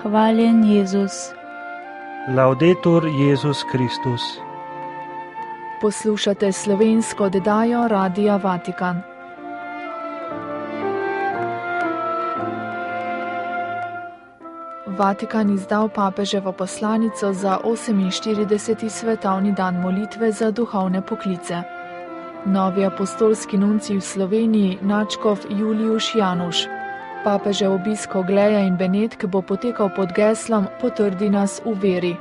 Hvaljen Jezus. Laudetur Jezus Kristus. Poslušate slovensko oddajo Radia Vatikan. Vatikan izdal papeževo poslanico za 48. svetovni dan molitve za duhovne poklice. Novi apostolski nuncij v Sloveniji, nadškof Juliuš Januš. Papežev obisk Ogleja in Benetk bo potekal pod geslom Potrdi nas v veri.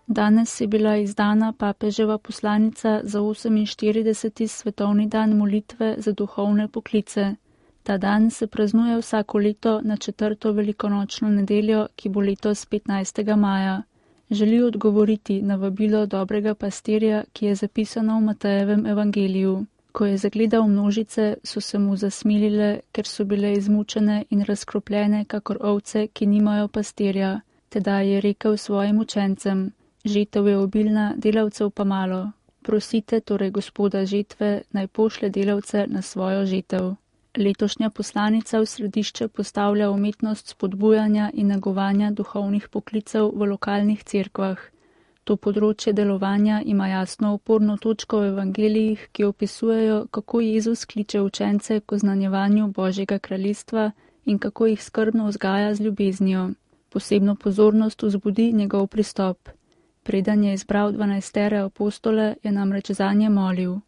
Danes je bila izdana papeževa poslanica za 48. svetovni dan molitve za duhovne poklice. Ta dan se praznuje vsako leto na 4. velikonočno nedeljo, ki bo letos 15. maja. Želi odgovoriti na vabilo dobrega pastirja, ki je zapisano v Matejevem evangeliju. Ko je zagledal množice, so se mu zasmilile, ker so bile izmučene in razkropljene kakor ovce, ki nimajo pastirja. Tedaj je rekel svojim učencem: žetev je obilna, delavcev pa malo. Prosite torej Gospoda žetve, naj pošlje delavce na svojo žetev. Letošnja poslanica v središče postavlja umetnost spodbujanja in negovanja duhovnih poklicev v lokalnih cerkvah. To področje delovanja ima jasno oporno točko v evangelijih, ki opisujejo, kako Jezus kliče učence k oznanjevanju Božjega kraljestva in kako jih skrbno vzgaja z ljubeznijo. Posebno pozornost vzbudi njegov pristop. Preden je izbral 12 apostole, je namreč zanje molil.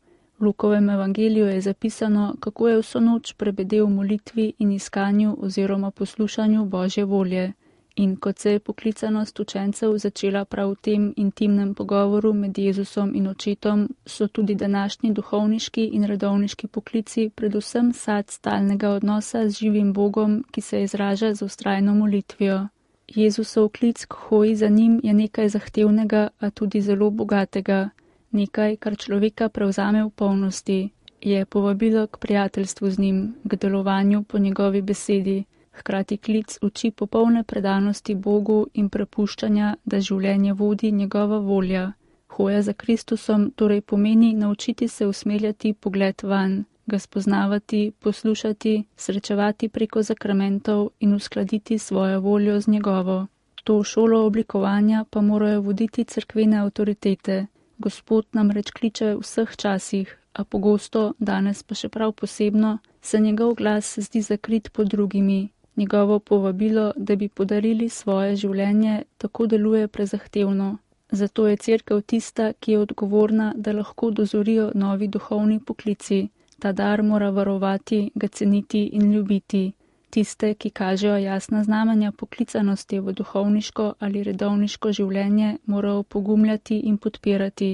V Lukovem evangeliju je zapisano, kako je vso noč prebedel v molitvi in iskanju oziroma poslušanju Božje volje. In kot se je poklicanost učencev začela prav v tem intimnem pogovoru med Jezusom in očetom, so tudi današnji duhovniški in redovniški poklici predvsem sad stalnega odnosa z živim Bogom, ki se izraža z vztrajno molitvijo. Jezusov klic k hoji za njim je nekaj zahtevnega, a tudi zelo bogatega. Nekaj, kar človeka prevzame v polnosti, je povabilo k prijateljstvu z njim, k delovanju po njegovi besedi, hkrati klic uči popolne predanosti Bogu in prepuščanja, da življenje vodi njegova volja. Hoja za Kristusom torej pomeni naučiti se usmerjati pogled vanj, ga spoznavati, poslušati, srečevati preko zakramentov in uskladiti svojo voljo z njegovo. To šolo oblikovanja pa morajo voditi cerkvene avtoritete. Gospod namreč kliče v vseh časih, a pogosto, danes pa še prav posebno, se njegov glas zdi zakrit pod drugimi. Njegovo povabilo, da bi podarili svoje življenje, tako deluje prezahtevno. Zato je cerkev tista, ki je odgovorna, da lahko dozorijo novi duhovni poklici. Ta dar mora varovati, ga ceniti in ljubiti. Tiste, ki kažejo jasna znamenja poklicanosti v duhovniško ali redovniško življenje, morajo pogumljati in podpirati.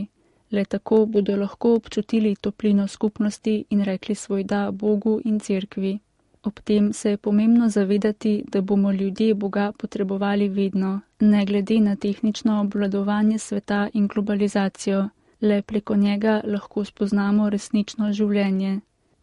Le tako bodo lahko občutili toplino skupnosti in rekli svoj da Bogu in cerkvi. Ob tem se je pomembno zavedati, da bomo ljudje Boga potrebovali vedno, ne glede na tehnično obvladovanje sveta in globalizacijo. Le preko njega lahko spoznamo resnično življenje.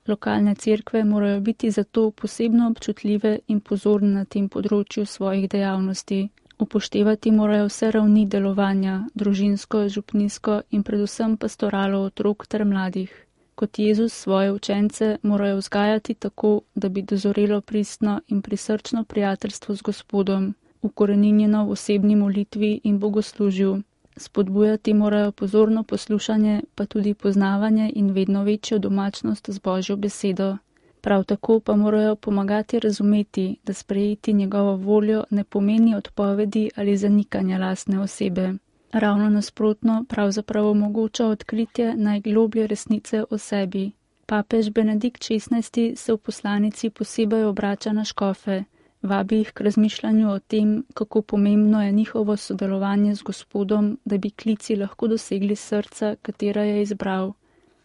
Lokalne cerkve morajo biti zato posebno občutljive in pozorne na tem področju svojih dejavnosti. Upoštevati morajo vse ravni delovanja, družinsko, župnijsko in predvsem pastoralo otrok ter mladih. Kot Jezus svoje učence morajo vzgajati tako, da bi dozorelo pristno in prisrčno prijateljstvo z Gospodom, ukoreninjeno v osebni molitvi in bogoslužju. Spodbujati morajo pozorno poslušanje, pa tudi poznavanje in vedno večjo domačnost z Božjo besedo. Prav tako pa morajo pomagati razumeti, da sprejeti njegovo voljo ne pomeni odpovedi ali zanikanja lastne osebe. Ravno nasprotno pravzaprav omogoča odkritje najgloblje resnice o sebi. Papež Benedikt XVI se v poslanici posebej obrača na škofe. Vabi jih k razmišljanju o tem, kako pomembno je njihovo sodelovanje z Gospodom, da bi klici lahko dosegli srca, katera je izbral.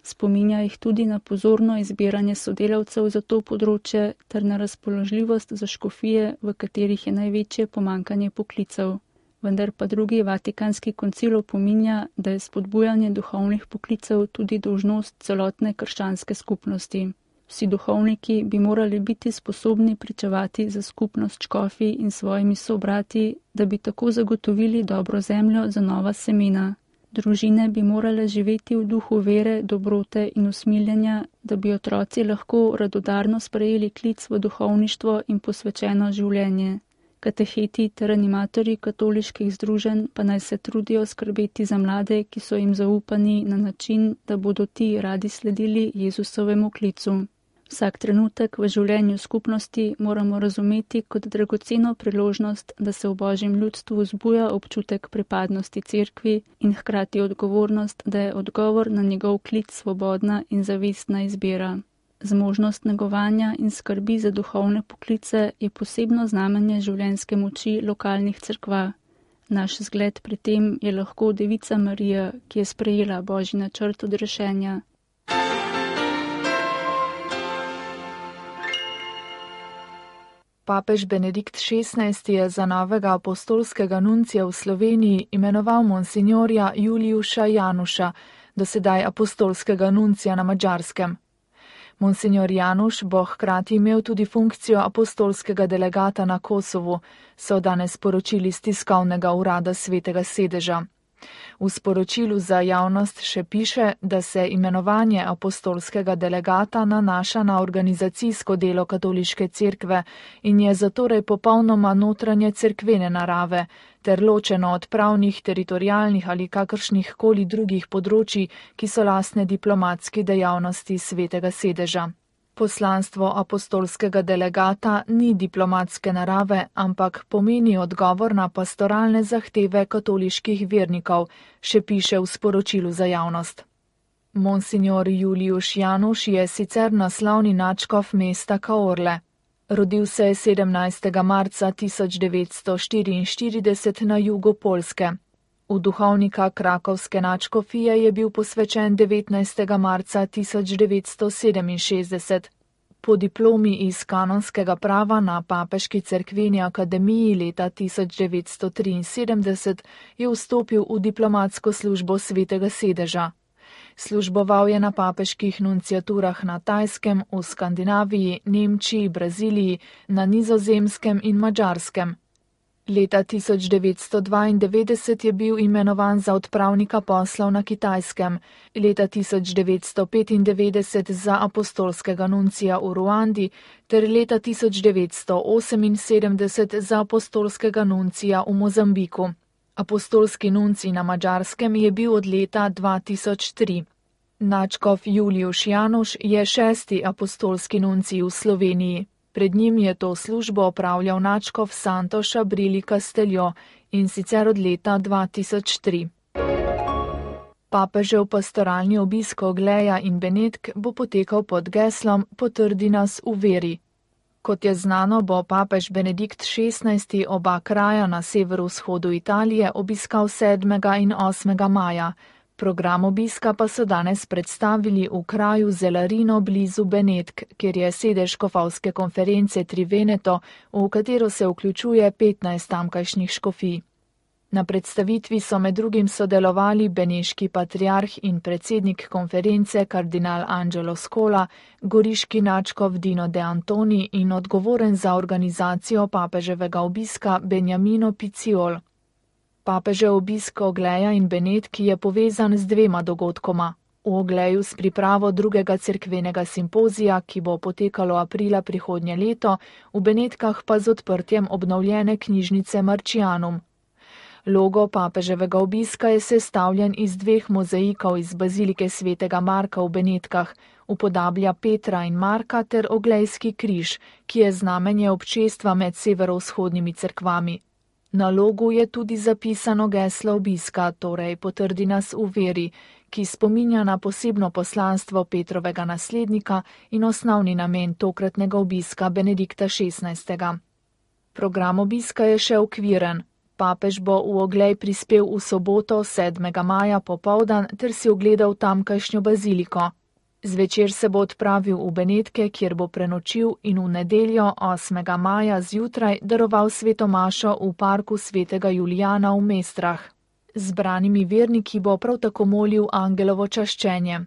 Spominja jih tudi na pozorno izbiranje sodelavcev za to področje ter na razpoložljivost za škofije, v katerih je največje pomanjkanje poklicev. Vendar pa drugi Vatikanski koncil opominja, da je spodbujanje duhovnih poklicev tudi dolžnost celotne krščanske skupnosti. Vsi duhovniki bi morali biti sposobni pričevati za skupnost škofij in svojimi sobrati, da bi tako zagotovili dobro zemljo za nova semena. Družine bi morale živeti v duhu vere, dobrote in usmiljenja, da bi otroci lahko radodarno sprejeli klic v duhovništvo in posvečeno življenje. Kateheti ter animatorji katoliških združenj pa naj se trudijo skrbeti za mlade, ki so jim zaupani na način, da bodo ti radi sledili Jezusovemu klicu. Vsak trenutek v življenju skupnosti moramo razumeti kot dragoceno priložnost, da se v Božjem ljudstvu vzbuja občutek pripadnosti cerkvi in hkrati odgovornost, da je odgovor na njegov klic svobodna in zavestna izbira. Zmožnost negovanja in skrbi za duhovne poklice je posebno znamenje življenjske moči lokalnih cerkva. Naš zgled pri tem je lahko Devica Marija, ki je sprejela Božji načrt odrešenja. Papež Benedikt XVI je za novega apostolskega nuncija v Sloveniji imenoval monsinjorja Juliusza Januša, dosedaj apostolskega nuncija na Madžarskem. Monsinjor Januš bo hkrati imel tudi funkcijo apostolskega delegata na Kosovu, so danes sporočili z tiskovnega urada Svetega sedeža. V sporočilu za javnost še piše, da se imenovanje apostolskega delegata nanaša na organizacijsko delo katoliške cerkve in je zatorej popolnoma notranje cerkvene narave, ter ločeno od pravnih, teritorialnih ali kakršnih koli drugih področji, ki so lastne diplomatski dejavnosti Svetega sedeža. Poslanstvo apostolskega delegata ni diplomatske narave, ampak pomeni odgovor na pastoralne zahteve katoliških vernikov, še piše v sporočilu za javnost. Monsinjor Julius Januš je sicer naslovni nadškof mesta Kaorle. Rodil se je 17. marca 1944 na jugu Poljske. V duhovnika krakovske nadškofije je bil posvečen 19. marca 1967. Po diplomi iz kanonskega prava na Papeški cerkveni akademiji leta 1973 je vstopil v diplomatsko službo Svetega sedeža. Služboval je na papeških nunciaturah na Tajskem, v Skandinaviji, Nemčiji, Braziliji, na Nizozemskem in Madžarskem. Leta 1992 je bil imenovan za odpravnika poslov na Kitajskem, leta 1995 za apostolskega nuncija v Ruandi ter leta 1978 za apostolskega nuncija v Mozambiku. Apostolski nuncij na Madžarskem je bil od leta 2003. Nadškof Julius Januš je 6. apostolski nuncij v Sloveniji. Pred njim je to službo opravljal nadškof Santoš Abrili Casteljo in sicer od leta 2003. Papežev pastoralni obisk Ogleja in Benetk bo potekal pod geslom Potrdi nas v veri. Kot je znano, bo papež Benedikt XVI oba kraja na severovzhodu Italije obiskal 7. in 8. maja. Program obiska pa so danes predstavili v kraju Zelarino blizu Benetk, kjer je sedež škofovske konference Triveneto, v katero se vključuje 15 tamkajšnjih škofij. Na predstavitvi so med drugim sodelovali beneški patriarh in predsednik konference kardinal Angelo Scola, goriški nadškof Dino De Antoni in odgovoren za organizacijo papeževega obiska Beniamino Piciol. Papežev obisk Ogleja in Benetk je povezan z dvema dogodkoma. V Ogleju s pripravo drugega cerkvenega simpozija, ki bo potekalo aprila prihodnje leto, v Benetkah pa z odprtjem obnovljene knjižnice Marcianum. Logo papeževega obiska je sestavljen iz dveh mozaikov iz bazilike svetega Marka v Benetkah, upodablja Petra in Marka ter oglejski križ, ki je znamenje občestva med severovzhodnimi cerkvami. Na logu je tudi zapisano geslo obiska, torej Potrdi nas v veri, ki spominja na posebno poslanstvo Petrovega naslednika in osnovni namen tokratnega obiska Benedikta XVI. Program obiska je še okviren. Papež bo v Oglej prispel v soboto 7. maja popoldan ter si ogledal tamkajšnjo baziliko. Zvečer se bo odpravil v Benetke, kjer bo prenočil in v nedeljo 8. maja zjutraj daroval sveto mašo v parku svetega Julijana v Mestrah. Zbranimi verniki bo prav tako molil angelovo čaščenje.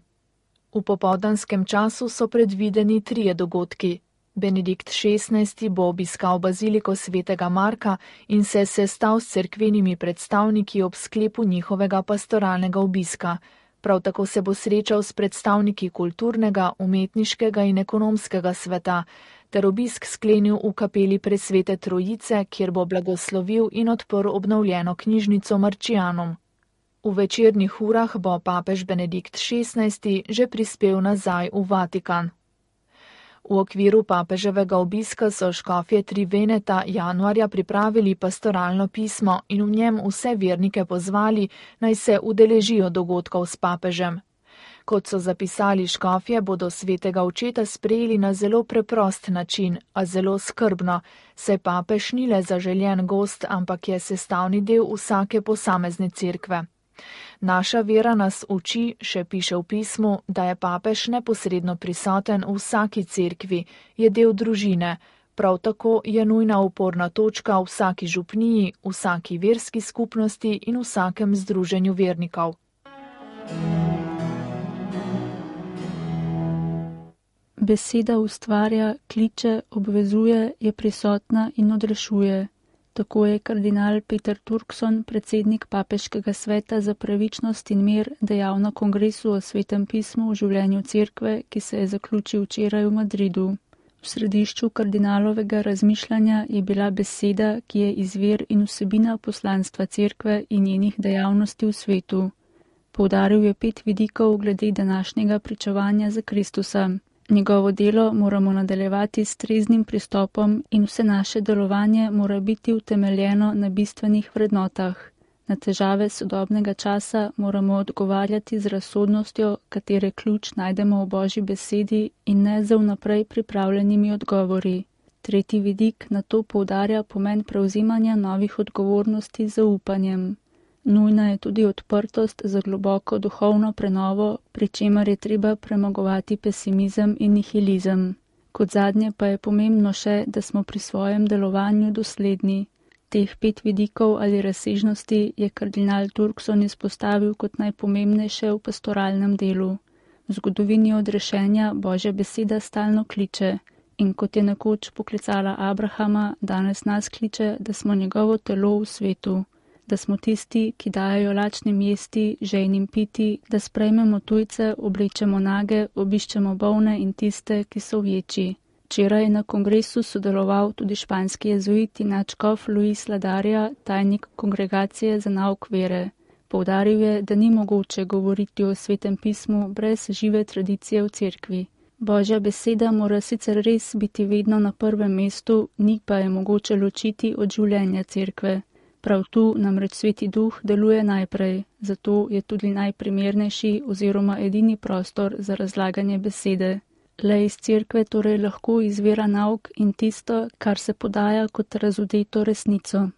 V popoldanskem času so predvideni 3 dogodki. Benedikt XVI. Bo obiskal baziliko svetega Marka in se sestal s cerkvenimi predstavniki ob sklepu njihovega pastoralnega obiska. Prav tako se bo srečal s predstavniki kulturnega, umetniškega in ekonomskega sveta, ter obisk sklenil v kapeli Presvete Trojice, kjer bo blagoslovil in odprl obnovljeno knjižnico Marčijanum. V večernih urah bo papež Benedikt XVI. Že prispel nazaj v Vatikan. V okviru papeževega obiska so škofje Triveneta januarja pripravili pastoralno pismo in v njem vse vernike pozvali, naj se udeležijo dogodkov s papežem. Kot so zapisali škofje, bodo svetega očeta sprejeli na zelo preprost način, a zelo skrbno, saj papež ni le zaželjen gost, ampak je sestavni del vsake posamezne cerkve. Naša vera nas uči, še piše v pismu, da je papež neposredno prisoten v vsaki cerkvi, je del družine. Prav tako je nujna oporna točka v vsaki župniji, vsaki verski skupnosti in vsakem združenju vernikov. Beseda ustvarja, kliče, obvezuje, je prisotna in odrešuje. Tako je kardinal Peter Turkson, predsednik Papeškega sveta za pravičnost in mir, dejal na kongresu o svetem pismu v življenju cerkve, ki se je zaključil včeraj v Madridu. V središču kardinalovega razmišljanja je bila beseda, ki je izvir in vsebina poslanstva cerkve in njenih dejavnosti v svetu. Poudaril je 5 vidikov glede današnjega pričevanja za Kristusa. Njegovo delo moramo nadaljevati s treznim pristopom in vse naše delovanje mora biti utemeljeno na bistvenih vrednotah. Na težave sodobnega časa moramo odgovarjati z razsodnostjo, katere ključ najdemo v Božji besedi in ne z vnaprej pripravljenimi odgovori. Tretji vidik na to poudarja pomen prevzemanja novih odgovornosti z zaupanjem. Nujna je tudi odprtost za globoko duhovno prenovo, pri čemer je treba premagovati pesimizem in nihilizem. Kot zadnje pa je pomembno še, da smo pri svojem delovanju dosledni. Teh 5 vidikov ali razsežnosti je kardinal Turkson izpostavil kot najpomembnejše v pastoralnem delu. V zgodovini odrešenja Božja beseda stalno kliče in kot je nekoč poklicala Abrahama, danes nas kliče, da smo njegovo telo v svetu. Da smo tisti, ki dajajo lačnim jesti, žejnim piti, da sprejmemo tujce, oblečemo nage, obiščemo bolne in tiste, ki so vječi. Včeraj je na kongresu sodeloval tudi španski jezuit in nadškof Luis Ladarja, tajnik kongregacije za nauk vere. Poudaril je, da ni mogoče govoriti o svetem pismu brez žive tradicije v cerkvi. Božja beseda mora sicer res biti vedno na prvem mestu, ni pa je mogoče ločiti od življenja cerkve. Prav tu namreč Sveti Duh deluje najprej, zato je tudi najprimernejši oziroma edini prostor za razlaganje besede. Le iz cerkve torej lahko izvira nauk in tisto, kar se podaja kot razodeto resnico.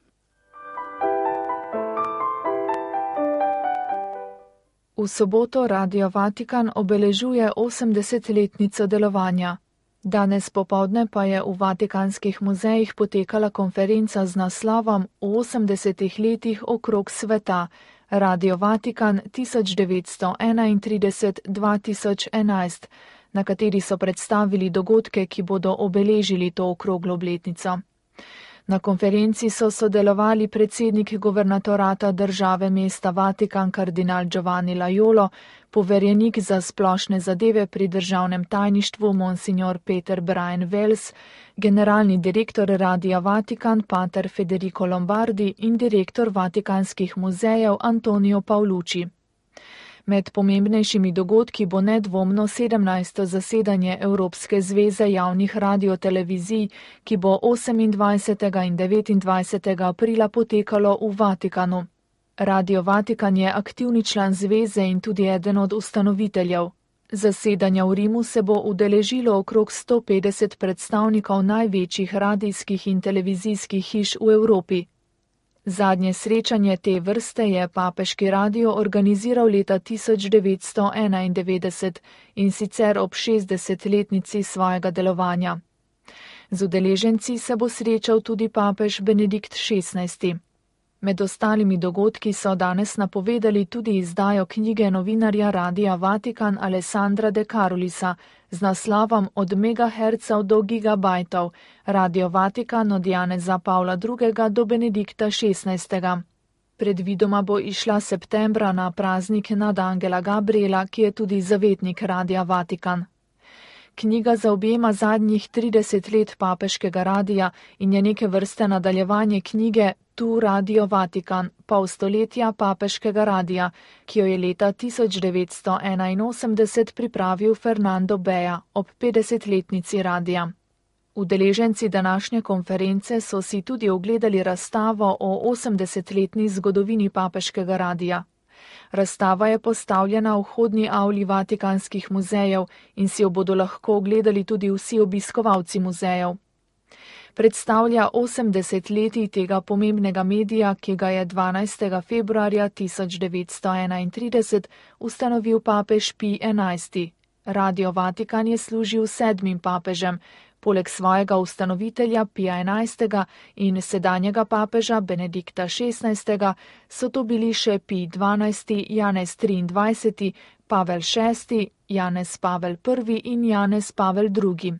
V soboto Radio Vatikan obeležuje 80-letnico delovanja. Danes popoldne pa je v vatikanskih muzejih potekala konferenca z naslovom v 80 letih okrog sveta, Radio Vatikan 1931-2011, na kateri so predstavili dogodke, ki bodo obeležili to okroglo obletnico. Na konferenci so sodelovali predsednik guvernatorata države mesta Vatikan kardinal Giovanni Laiolo, poverjenik za splošne zadeve pri državnem tajništvu monsignor Peter Brian Wells, generalni direktor Radia Vatikan pater Federico Lombardi in direktor Vatikanskih muzejev Antonio Paolucci. Med pomembnejšimi dogodki bo nedvomno 17. zasedanje Evropske zveze javnih radiotelevizij, ki bo 28. in 29. aprila potekalo v Vatikanu. Radio Vatikan je aktivni član zveze in tudi eden od ustanoviteljev. Zasedanja v Rimu se bo udeležilo okrog 150 predstavnikov največjih radijskih in televizijskih hiš v Evropi. Zadnje srečanje te vrste je Papeški radio organiziral leta 1991 in sicer ob 60-letnici svojega delovanja. Z udeleženci se bo srečal tudi papež Benedikt XVI. Med ostalimi dogodki so danes napovedali tudi izdajo knjige novinarja Radia Vatikan Alessandra De Carolisa z naslovom Od megahercev do gigabajtov, Radio Vatikan od Janeza Pavla II. Do Benedikta XVI. Predvidoma bo išla septembra na praznik nad Angela Gabriela, ki je tudi zavetnik Radia Vatikan. Knjiga zaobjema zadnjih 30 let papeškega radija in je neke vrste nadaljevanje knjige Tu Radio Vatikan, pol stoletja papeškega radija, ki jo je leta 1981 pripravil Fernando Bea ob 50-letnici radija. Udeleženci današnje konference so si tudi ogledali razstavo o 80-letni zgodovini papeškega radija. Razstava je postavljena v vhodni avli vatikanskih muzejev in si jo bodo lahko ogledali tudi vsi obiskovalci muzejev. Predstavlja 80 letij tega pomembnega medija, ki ga je 12. februarja 1931 ustanovil papež Pij XI. Radio Vatikan je služil 7. papežem, poleg svojega ustanovitelja Pija XI. In sedanjega papeža Benedikta XVI. So to bili še Pij XII., Janez XXIII., Pavel VI., Janez Pavel I. in Janez Pavel II.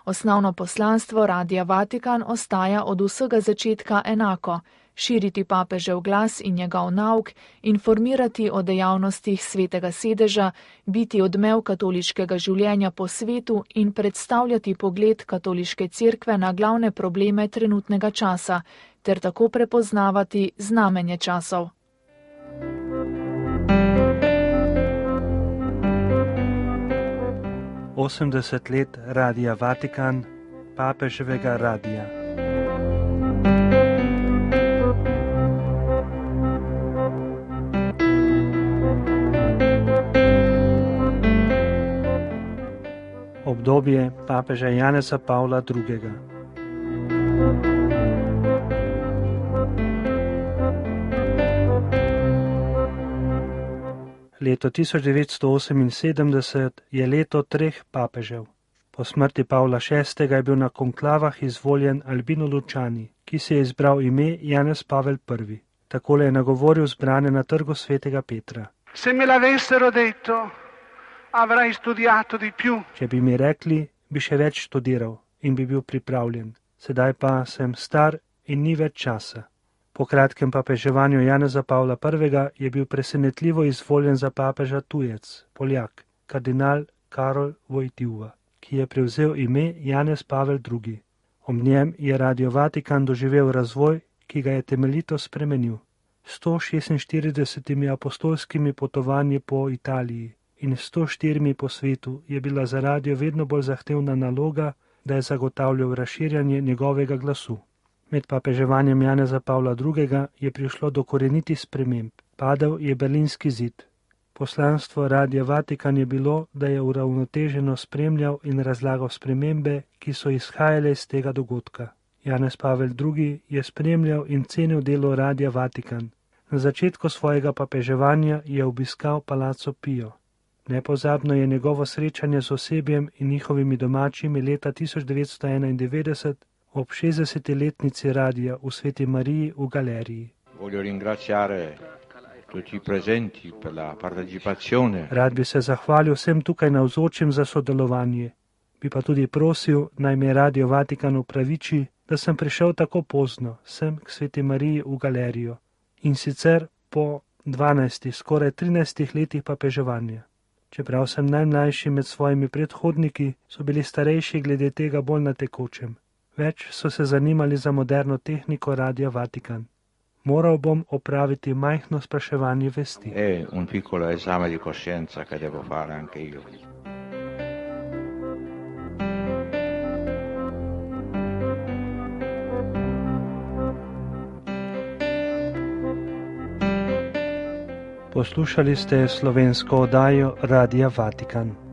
Osnovno poslanstvo Radia Vatikan ostaja od vsega začetka enako: širiti papežev glas in njegov nauk, informirati o dejavnostih Svetega sedeža, biti odmev katoliškega življenja po svetu in predstavljati pogled katoliške cerkve na glavne probleme trenutnega časa, ter tako prepoznavati znamenje časov. Osemdeset let Radia Vatikan, papeževega radija. Obdobje papeža Janeza Pavla II. Leto 1978 je leto 3 papežev. Po smrti Pavla VI. Je bil na konklavah izvoljen Albino Luciani, ki si je izbral ime Janez Pavel I. Takole je nagovoril zbrane na trgu svetega Petra. Se me l'avessero detto, avrai studiato di più. Če bi mi rekli, bi še več študiral in bi bil pripravljen. Sedaj pa sem star in ni več časa. Po kratkem papeževanju Janeza Pavla I. je bil presenetljivo izvoljen za papeža tujec, Poljak, kardinal Karol Wojtyła, ki je prevzel ime Janez Pavel II. Ob njem je Radio Vatikan doživel razvoj, ki ga je temeljito spremenil. 146 apostolskimi potovanji po Italiji in 104 po svetu je bila za radio vedno bolj zahtevna naloga, da je zagotavljal razširjanje njegovega glasu. Med papeževanjem Janeza Pavla II. Je prišlo do korenitih sprememb. Padel je Berlinski zid. Poslanstvo Radia Vatikan je bilo, da je uravnoteženo spremljal in razlagal spremembe, ki so izhajale iz tega dogodka. Janez Pavel II. Je spremljal in cenil delo Radia Vatikan. Na začetku svojega papeževanja je obiskal Palazzo Pio. Nepozabno je njegovo srečanje z osebjem in njihovimi domačimi leta 1991 ob 60-letnici radija v Sveti Mariji v galeriji. Rad bi se zahvalil vsem tukaj navzočim za sodelovanje. Bi pa tudi prosil, naj me Radio Vatikan upraviči, da sem prišel tako pozno sem k Sveti Mariji v galerijo. In sicer po 12, skoraj 13 letih papeževanja. Čeprav sem najmlajši med svojimi predhodniki, so bili starejši glede tega bolj na tekočem. Več so se zanimali za moderno tehniko Radia Vatikan. Moral bom opraviti majhno spraševanje vesti. Un piccolo esame di coscienza che devo fare anche io. Poslušali ste slovensko oddajo Radia Vatikan.